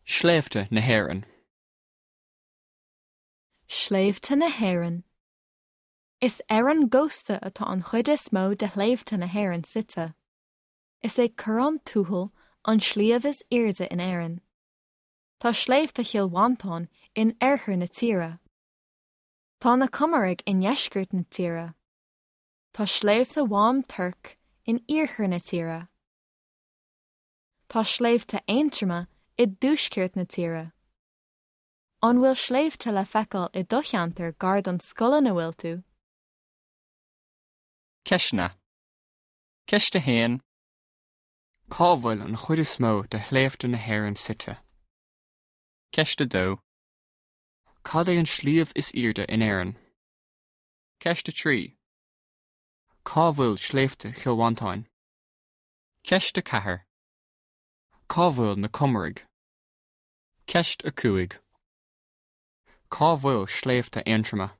Sléibhte na hÉireann. Sléibhte na hÉireann. Is ar an gcósta atá an chuid is mó de shléibhte na hÉireann suite. Is é Corrán Tuathail an sliabh is airde in Éirinn. Tá Sléibhte Chill Mhantáin in oirthear na tíre. Tá na Comaraigh i ndeisceart na tíre. Tá Sléibhte Mhám Toirc in iarthar na tíre. Tá Sléibhte Aontroma i dtuaisceart na tíre. An bhfuil sléibhte le feiceáil i do cheantar gar don scoil ina bhfuil tú? Ceisteanna. Ceist 1. Cá bhfuil an chuid is mó de shléibhte na hÉireann suite? Ceist 2. Cad é an sliabh is airde in Éirinn? Ceist 3. Cá bhfuil Sléibhte Chill Mhantáin? Ceist 4. Cá bhfuil na Comaraigh? Ceist 5. Cá bhfuil Sléibhte Aontroma?